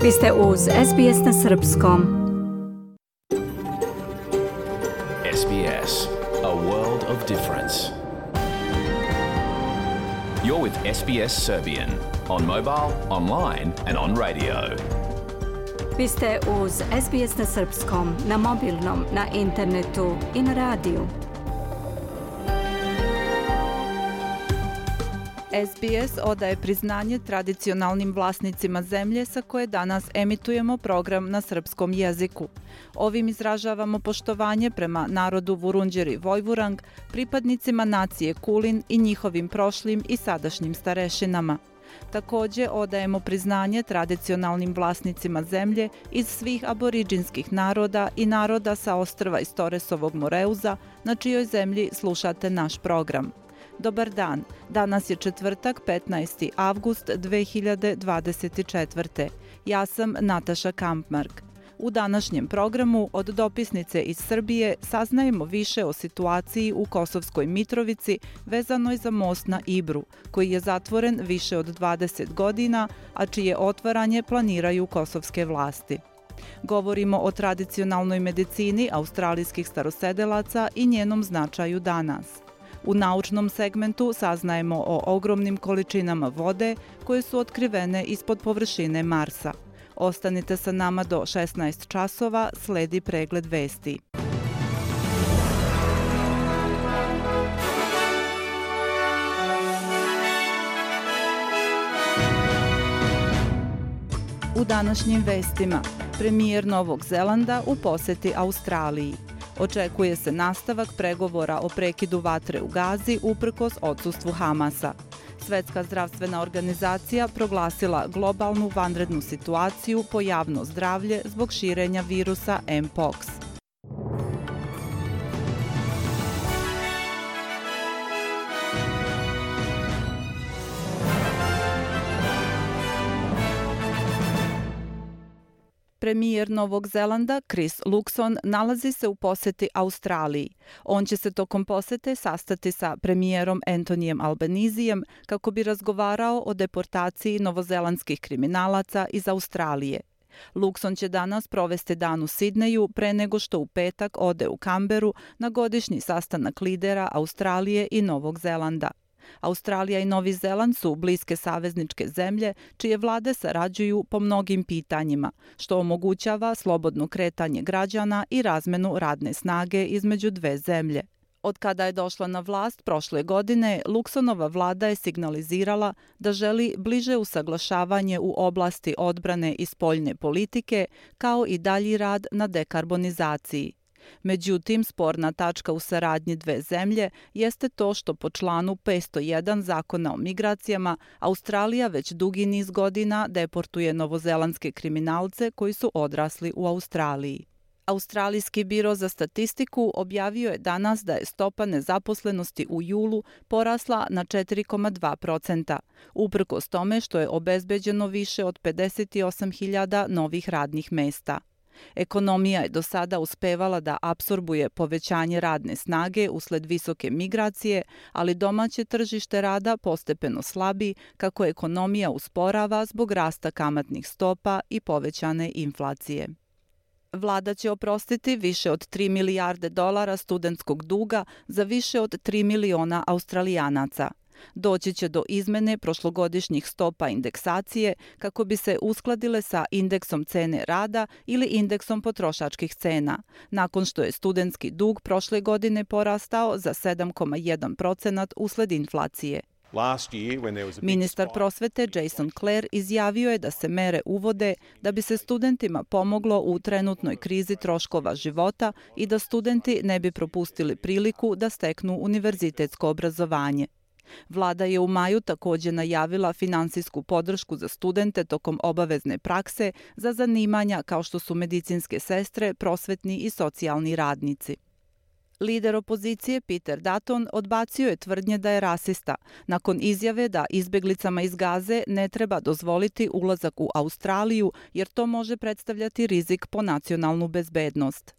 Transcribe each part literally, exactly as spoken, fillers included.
Vi ste uz S B S na srpskom. S B S, a world of difference. You're with S B S Serbian on mobile, online and on radio. Vi ste uz S B S na srpskom, na mobilnom, na internetu i na radiju. S B S odaje priznanje tradicionalnim vlasnicima zemlje sa koje danas emitujemo program na srpskom jeziku. Ovim izražavamo poštovanje prema narodu Vurundjeri Vojvurang, pripadnicima nacije Kulin i njihovim prošlim i sadašnjim starešinama. Također odajemo priznanje tradicionalnim vlasnicima zemlje iz svih aboriđinskih naroda i naroda sa ostrva iz Toresovog Moreuza, na čijoj zemlji slušate naš program. Dobar dan, danas je četvrtak petnaesti avgust dve hiljade dvadeset četvrte. Ja sam Nataša Kampmark. U današnjem programu od dopisnice iz Srbije saznajemo više o situaciji u Kosovskoj Mitrovici vezanoj za most na Ibru, koji je zatvoren više od dvadeset godina, a čije otvaranje planiraju kosovske vlasti. Govorimo o tradicionalnoj medicini australijskih starosedelaca i njenom značaju danas. U naučnom segmentu saznajemo o ogromnim količinama vode koje su otkrivene ispod površine Marsa. Ostanite sa nama do šesnaest časova, sledi pregled vesti. U današnjim vestima, premijer Novog Zelanda u poseti Australiji. Očekuje se nastavak pregovora o prekidu vatre u Gazi uprkos odsustvu Hamasa. Svetska zdravstvena organizacija proglasila globalnu vanrednu situaciju po javno zdravlje zbog širenja virusa M-Pox. Premijer Novog Zelanda Chris Luxon nalazi se u poseti Australiji. On će se tokom posete sastati sa premijerom Antonijem Albanizijem kako bi razgovarao o deportaciji novozelandskih kriminalaca iz Australije. Luxon će danas provesti dan u Sidneju pre nego što u petak ode u Kamberu na godišnji sastanak lidera Australije i Novog Zelanda. Australija i Novi Zeland su bliske savezničke zemlje čije vlade sarađuju po mnogim pitanjima, što omogućava slobodno kretanje građana i razmenu radne snage između dve zemlje. Od kada je došla na vlast prošle godine, Luxonova vlada je signalizirala da želi bliže usaglašavanje u oblasti odbrane i spoljne politike, kao i dalji rad na dekarbonizaciji. Međutim, sporna tačka u saradnji dve zemlje jeste to što po članu petsto jedan Zakona o migracijama Australija već dugi niz godina deportuje novozelandske kriminalce koji su odrasli u Australiji. Australijski biro za statistiku objavio je danas da je stopa nezaposlenosti u julu porasla na četiri zarez dva procenta, uprkos tome što je obezbeđeno više od pedeset osam hiljada novih radnih mesta. Ekonomija je do sada uspevala da apsorbuje povećanje radne snage usled visoke migracije, ali domaće tržište rada postepeno slabi kako ekonomija usporava zbog rasta kamatnih stopa i povećane inflacije. Vlada će oprostiti više od tri milijarde dolara studentskog duga za više od tri miliona Australijanaca. Doći će do izmene prošlogodišnjih stopa indeksacije kako bi se uskladile sa indeksom cene rada ili indeksom potrošačkih cena, nakon što je studentski dug prošle godine porastao za sedam zarez jedan procent usled inflacije. Ministar prosvete Jason Clare izjavio je da se mere uvode da bi se studentima pomoglo u trenutnoj krizi troškova života i da studenti ne bi propustili priliku da steknu univerzitetsko obrazovanje. Vlada je u maju također najavila finansijsku podršku za studente tokom obavezne prakse za zanimanja kao što su medicinske sestre, prosvetni i socijalni radnici. Lider opozicije Peter Dutton odbacio je tvrdnje da je rasista, nakon izjave da izbeglicama iz Gaze ne treba dozvoliti ulazak u Australiju jer to može predstavljati rizik po nacionalnu bezbednost.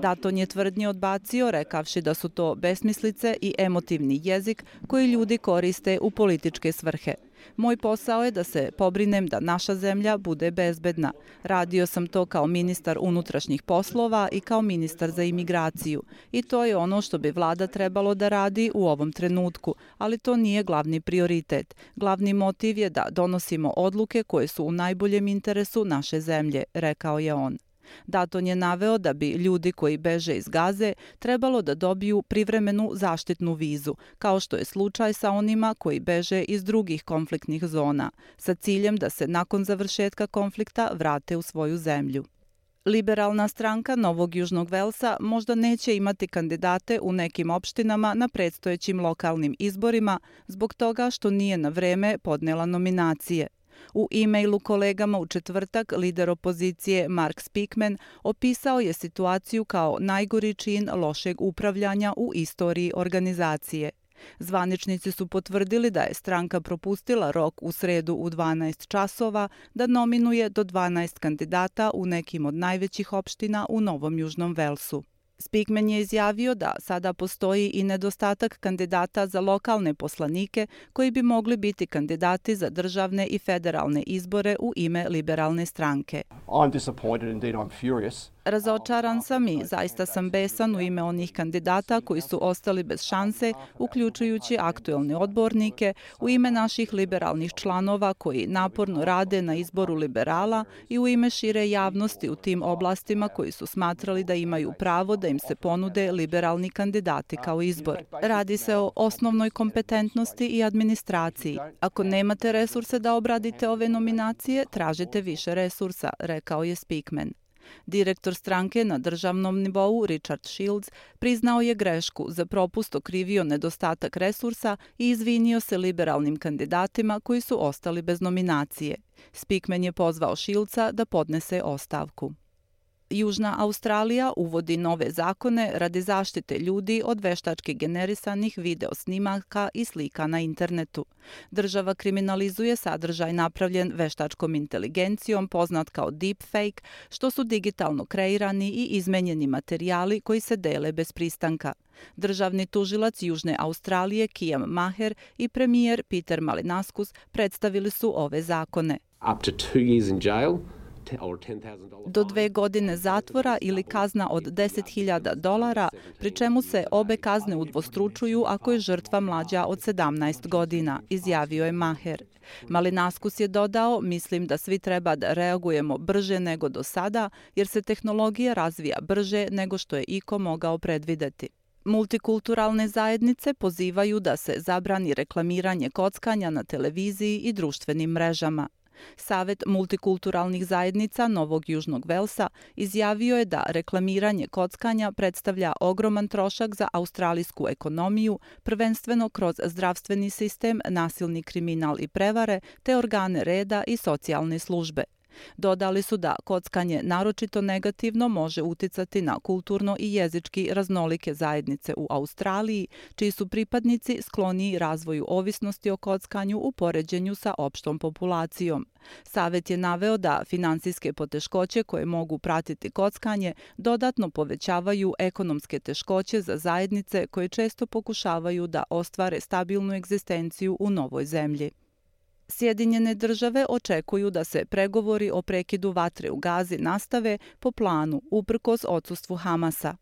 Dutton je tvrdnje odbacio rekavši da su to besmislice i emotivni jezik koji ljudi koriste u političke svrhe. Moj posao je da se pobrinem da naša zemlja bude bezbedna. Radio sam to kao ministar unutrašnjih poslova i kao ministar za imigraciju. I to je ono što bi vlada trebalo da radi u ovom trenutku, ali to nije glavni prioritet. Glavni motiv je da donosimo odluke koje su u najboljem interesu naše zemlje, rekao je on. Dayton je naveo da bi ljudi koji beže iz Gaze trebalo da dobiju privremenu zaštitnu vizu, kao što je slučaj sa onima koji beže iz drugih konfliktnih zona, sa ciljem da se nakon završetka konflikta vrate u svoju zemlju. Liberalna stranka Novog Južnog Velsa možda neće imati kandidate u nekim opštinama na predstojećim lokalnim izborima zbog toga što nije na vreme podnela nominacije. U e-mailu kolegama u četvrtak lider opozicije Mark Speakman opisao je situaciju kao najgori čin lošeg upravljanja u istoriji organizacije. Zvaničnici su potvrdili da je stranka propustila rok u sredu u dvanaest časova da nominuje do dvanaest kandidata u nekim od najvećih opština u Novom Južnom Velsu. Speakman je izjavio da sada postoji i nedostatak kandidata za lokalne poslanike koji bi mogli biti kandidati za državne i federalne izbore u ime liberalne stranke. I'm disappointed, indeed I'm furious. Razočaran sam i zaista sam besan u ime onih kandidata koji su ostali bez šanse, uključujući aktuelne odbornike, u ime naših liberalnih članova koji naporno rade na izboru liberala i u ime šire javnosti u tim oblastima koji su smatrali da imaju pravo da im se ponude liberalni kandidati kao izbor. Radi se o osnovnoj kompetentnosti i administraciji. Ako nemate resurse da obradite ove nominacije, tražite više resursa, rekao je Speakman. Direktor stranke na državnom nivou Richard Shields priznao je grešku, za propust okrivio nedostatak resursa i izvinio se liberalnim kandidatima koji su ostali bez nominacije. Speakman je pozvao Shieldsa da podnese ostavku. Južna Australija uvodi nove zakone radi zaštite ljudi od veštački generisanih video snimaka i slika na internetu. Država kriminalizuje sadržaj napravljen veštačkom inteligencijom, poznat kao deepfake, što su digitalno kreirani i izmenjeni materijali koji se dele bez pristanka. Državni tužilac Južne Australije Kiam Maher i premijer Peter Malinauskas predstavili su ove zakone. Up to two years in jail. Do dve godine zatvora ili kazna od deset hiljada dolara, pri čemu se obe kazne udvostručuju ako je žrtva mlađa od sedamnaest godina, izjavio je Maher. Malinauskas je dodao, mislim da svi treba da reagujemo brže nego do sada, jer se tehnologija razvija brže nego što je iko mogao predvideti. Multikulturalne zajednice pozivaju da se zabrani reklamiranje kockanja na televiziji i društvenim mrežama. Savet multikulturalnih zajednica Novog Južnog Velsa izjavio je da reklamiranje kockanja predstavlja ogroman trošak za australijsku ekonomiju, prvenstveno kroz zdravstveni sistem, nasilni kriminal i prevare, te organe reda i socijalne službe. Dodali su da kockanje naročito negativno može uticati na kulturno i jezički raznolike zajednice u Australiji, čiji su pripadnici skloniji razvoju ovisnosti o kockanju u poređenju sa opštom populacijom. Savet je naveo da finansijske poteškoće koje mogu pratiti kockanje dodatno povećavaju ekonomske teškoće za zajednice koje često pokušavaju da ostvare stabilnu egzistenciju u novoj zemlji. Sjedinjene države očekuju da se pregovori o prekidu vatre u Gazi nastave po planu, uprkos odsustvu Hamasa.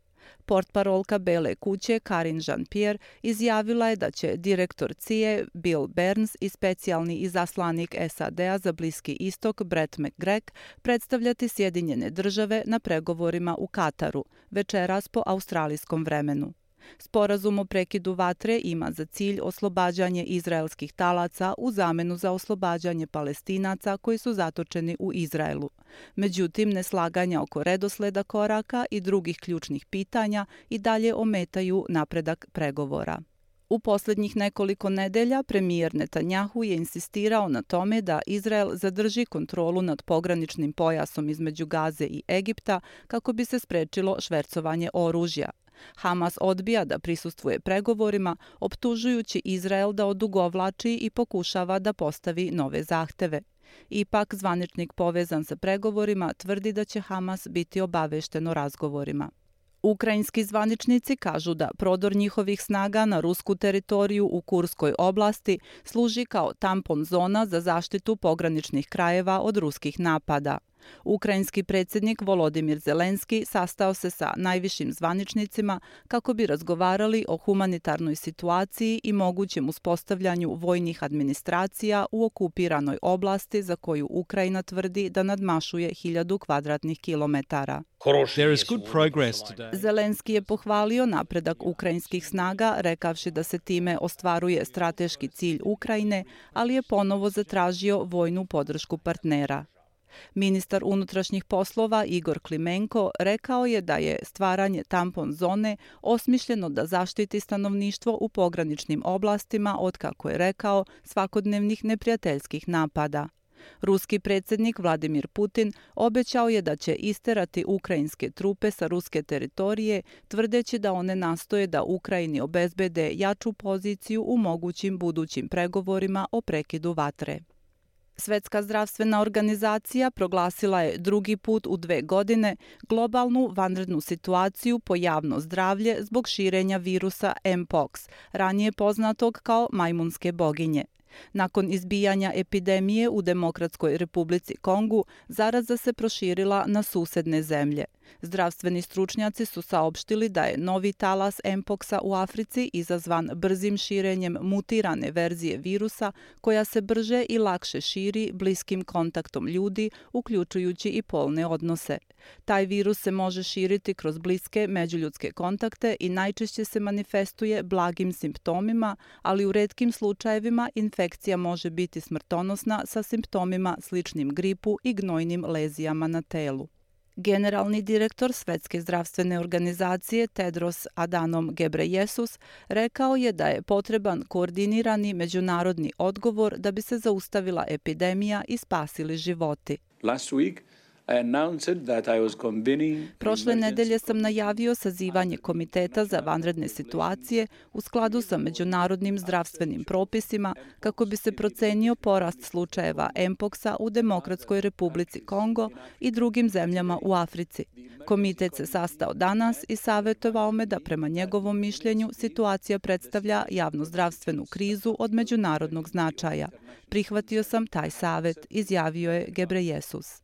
Portparolka Bele kuće Karine Jean-Pierre izjavila je da će direktor C I A Bill Burns i specijalni izaslanik S A D-a za Bliski istok Brett McGregor predstavljati Sjedinjene države na pregovorima u Kataru, večeras po australijskom vremenu. Sporazum o prekidu vatre ima za cilj oslobađanje izraelskih talaca u zamenu za oslobađanje Palestinaca koji su zatočeni u Izraelu. Međutim, neslaganja oko redosleda koraka i drugih ključnih pitanja i dalje ometaju napredak pregovora. U posljednjih nekoliko nedelja premijer Netanjahu je insistirao na tome da Izrael zadrži kontrolu nad pograničnim pojasom između Gaze i Egipta kako bi se sprečilo švercovanje oružja. Hamas odbija da prisustvuje pregovorima, optužujući Izrael da odugovlači i pokušava da postavi nove zahteve. Ipak, zvaničnik povezan sa pregovorima tvrdi da će Hamas biti obavešten o razgovorima. Ukrajinski zvaničnici kažu da prodor njihovih snaga na rusku teritoriju u Kurskoj oblasti služi kao tampon zona za zaštitu pograničnih krajeva od ruskih napada. Ukrajinski predsjednik Volodimir Zelenski sastao se sa najvišim zvaničnicima kako bi razgovarali o humanitarnoj situaciji i mogućem uspostavljanju vojnih administracija u okupiranoj oblasti za koju Ukrajina tvrdi da nadmašuje hiljadu kvadratnih kilometara. Zelenski je pohvalio napredak ukrajinskih snaga, rekavši da se time ostvaruje strateški cilj Ukrajine, ali je ponovo zatražio vojnu podršku partnera. Ministar unutrašnjih poslova Igor Klimenko rekao je da je stvaranje tampon zone osmišljeno da zaštiti stanovništvo u pograničnim oblastima od, kako je rekao, svakodnevnih neprijateljskih napada. Ruski predsjednik Vladimir Putin obećao je da će isterati ukrajinske trupe sa ruske teritorije, tvrdeći da one nastoje da Ukrajini obezbede jaču poziciju u mogućim budućim pregovorima o prekidu vatre. Svetska zdravstvena organizacija proglasila je drugi put u dve godine globalnu vanrednu situaciju po javno zdravlje zbog širenja virusa M-pox, ranije poznatog kao majmunske boginje. Nakon izbijanja epidemije u Demokratskoj Republici Kongu, zaraza se proširila na susedne zemlje. Zdravstveni stručnjaci su saopštili da je novi talas M-poxa u Africi izazvan brzim širenjem mutirane verzije virusa koja se brže i lakše širi bliskim kontaktom ljudi, uključujući i polne odnose. Taj virus se može širiti kroz bliske međuljudske kontakte i najčešće se manifestuje blagim simptomima, ali u retkim slučajevima infekcija može biti smrtonosna sa simptomima sličnim gripu i gnojnim lezijama na telu. Generalni direktor Svetske zdravstvene organizacije Tedros Adhanom Ghebreyesus rekao je da je potreban koordinirani međunarodni odgovor da bi se zaustavila epidemija i spasili životi. Last week, I announced that I was convening Prošle nedelje sam najavio sazivanje Komiteta za vanredne situacije u skladu sa međunarodnim zdravstvenim propisima kako bi se procenio porast slučajeva M-poxa u Demokratskoj Republici Kongo i drugim zemljama u Africi. Komitet se sastao danas i savjetovao me da prema njegovom mišljenju situacija predstavlja javnozdravstvenu krizu od međunarodnog značaja. Prihvatio sam taj savjet, izjavio je Ghebreyesus.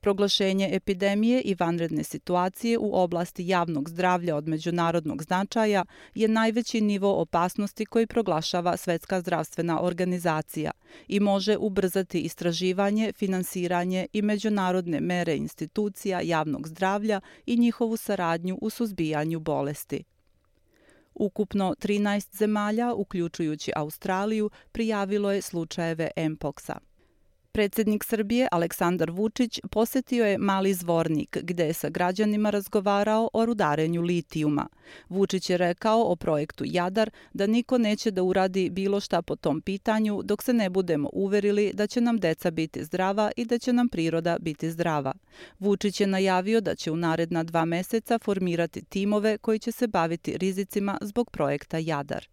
Proglašenje epidemije i vanredne situacije u oblasti javnog zdravlja od međunarodnog značaja je najveći nivo opasnosti koji proglašava Svetska zdravstvena organizacija i može ubrzati istraživanje, finansiranje i međunarodne mere institucija javnog zdravlja i njihovu saradnju u suzbijanju bolesti. Ukupno trinaest zemalja, uključujući Australiju, prijavilo je slučajeve M-poxa. Predsjednik Srbije Aleksandar Vučić posjetio je Mali Zvornik, gde je sa građanima razgovarao o rudarenju litijuma. Vučić je rekao o projektu Jadar da niko neće da uradi bilo šta po tom pitanju dok se ne budemo uverili da će nam deca biti zdrava i da će nam priroda biti zdrava. Vučić je najavio da će u naredna dva meseca formirati timove koji će se baviti rizicima zbog projekta Jadar.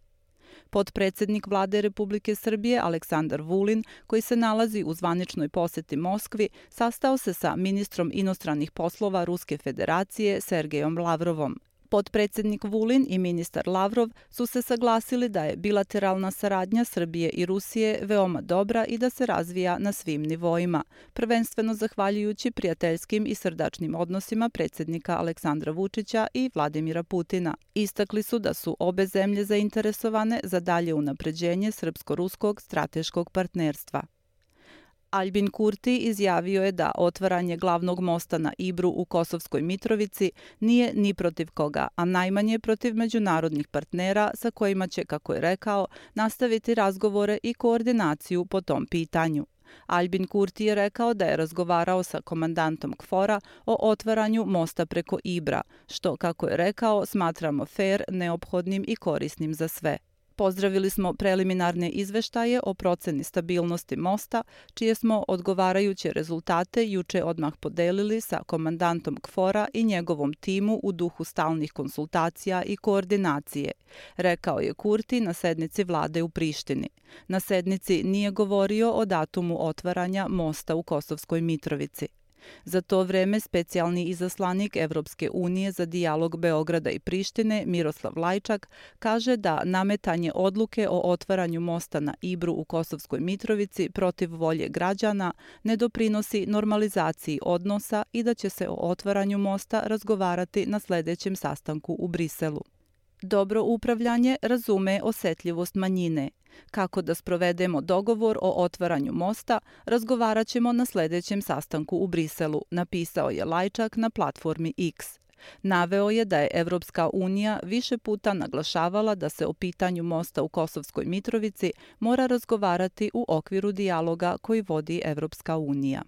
Potpredsjednik Vlade Republike Srbije Aleksandar Vulin, koji se nalazi u zvaničnoj posjeti Moskvi, sastao se sa ministrom inostranih poslova Ruske federacije Sergejom Lavrovom. Potpredsjednik Vulin i ministar Lavrov su se saglasili da je bilateralna saradnja Srbije i Rusije veoma dobra i da se razvija na svim nivoima, prvenstveno zahvaljujući prijateljskim i srdačnim odnosima predsjednika Aleksandra Vučića i Vladimira Putina. Istakli su da su obe zemlje zainteresovane za dalje unapređenje srpsko-ruskog strateškog partnerstva. Albin Kurti izjavio je da otvaranje glavnog mosta na Ibru u Kosovskoj Mitrovici nije ni protiv koga, a najmanje protiv međunarodnih partnera sa kojima će, kako je rekao, nastaviti razgovore i koordinaciju po tom pitanju. Albin Kurti je rekao da je razgovarao sa komandantom KFOR-a o otvaranju mosta preko Ibra, što, kako je rekao, smatramo fer, neophodnim i korisnim za sve. Pozdravili smo preliminarne izveštaje o proceni stabilnosti mosta, čije smo odgovarajuće rezultate juče odmah podelili sa komandantom KFOR-a i njegovom timu u duhu stalnih konsultacija i koordinacije, rekao je Kurti na sednici vlade u Prištini. Na sednici nije govorio o datumu otvaranja mosta u Kosovskoj Mitrovici. Za to vreme specijalni izaslanik Evropske unije za dijalog Beograda i Prištine Miroslav Lajčak kaže da nametanje odluke o otvaranju mosta na Ibru u Kosovskoj Mitrovici protiv volje građana ne doprinosi normalizaciji odnosa i da će se o otvaranju mosta razgovarati na sledećem sastanku u Briselu. Dobro upravljanje razume osetljivost manjine. Kako da sprovedemo dogovor o otvaranju mosta, razgovarat ćemo na sledećem sastanku u Briselu, napisao je Lajčak na platformi X. Naveo je da je Evropska unija više puta naglašavala da se o pitanju mosta u Kosovskoj Mitrovici mora razgovarati u okviru dijaloga koji vodi Evropska unija.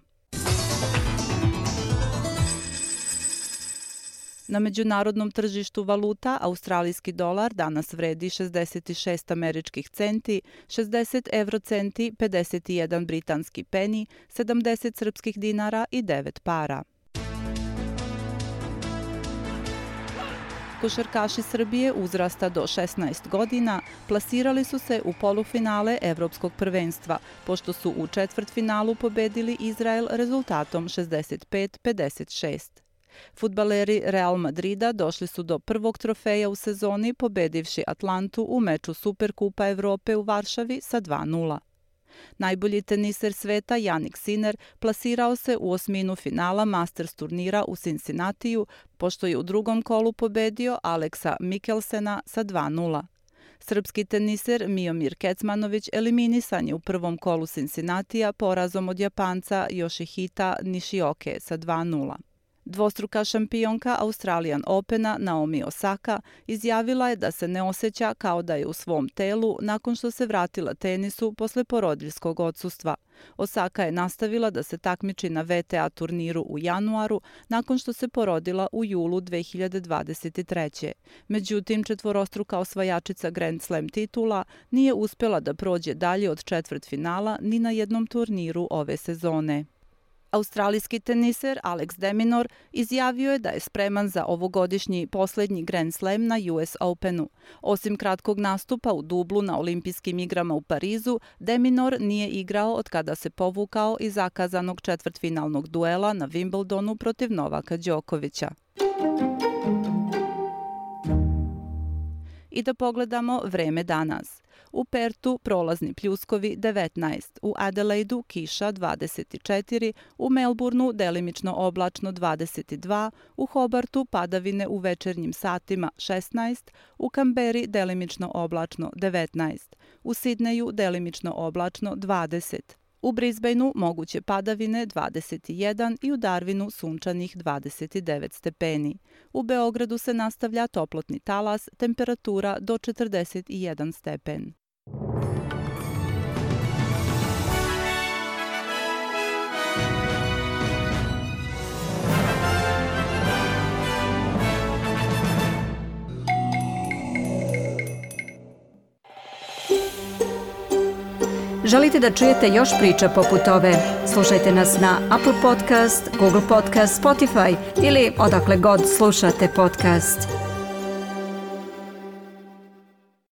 Na međunarodnom tržištu valuta australijski dolar danas vredi šezdeset šest američkih centi, šezdeset evrocenti, pedeset jedan britanski peni, sedamdeset srpskih dinara i devet para. Košarkaši Srbije uzrasta do šesnaest godina plasirali su se u polufinale Evropskog prvenstva, pošto su u četvrtfinalu pobedili Izrael rezultatom šezdeset pet pedeset šest. Fudbaleri Real Madrida došli su do prvog trofeja u sezoni pobedivši Atlantu u meču Superkupa Evrope u Varšavi sa dva nula. Najbolji teniser sveta Jannik Sinner plasirao se u osminu finala Masters turnira u Cincinnatiju, pošto je u drugom kolu pobedio Aleksa Mikkelsena sa dva nula. Srpski teniser Miomir Kecmanović eliminisan je u prvom kolu Cincinnatija porazom od Japanca Yoshihita Nishioke sa dva nula. Dvostruka šampionka Australian Opena Naomi Osaka izjavila je da se ne osjeća kao da je u svom telu nakon što se vratila tenisu posle porodiljskog odsustva. Osaka je nastavila da se takmiči na V T A turniru u januaru nakon što se porodila u julu dve hiljade dvadeset treće. Međutim, četvorostruka osvajačica Grand Slam titula nije uspela da prođe dalje od četvrtfinala ni na jednom turniru ove sezone. Australijski teniser Alex de Minaur izjavio je da je spreman za ovogodišnji poslednji Grand Slam na U S Openu. Osim kratkog nastupa u dublu na olimpijskim igrama u Parizu, de Minaur nije igrao od kada se povukao iz zakazanog četvrtfinalnog duela na Wimbledonu protiv Novaka Đokovića. I da pogledamo vreme danas. U Pertu prolazni pljuskovi devetnaest, u Adelaidu kiša dvadeset četiri, u Melbourneu delimično oblačno dvadeset dva, u Hobartu padavine u večernjim satima šesnaest, u Kamberi delimično oblačno devetnaest, u Sidneju delimično oblačno dvadeset. U Brisbaneu moguće padavine dvadeset jedan i u Darwinu sunčanih dvadeset devet stepeni. U Beogradu se nastavlja toplotni talas, temperatura do četrdeset jedan stepen. Želite da čujete još priča poput ove? Slušajte nas na Apple Podcast, Google Podcast, Spotify ili odakle god slušate podcast.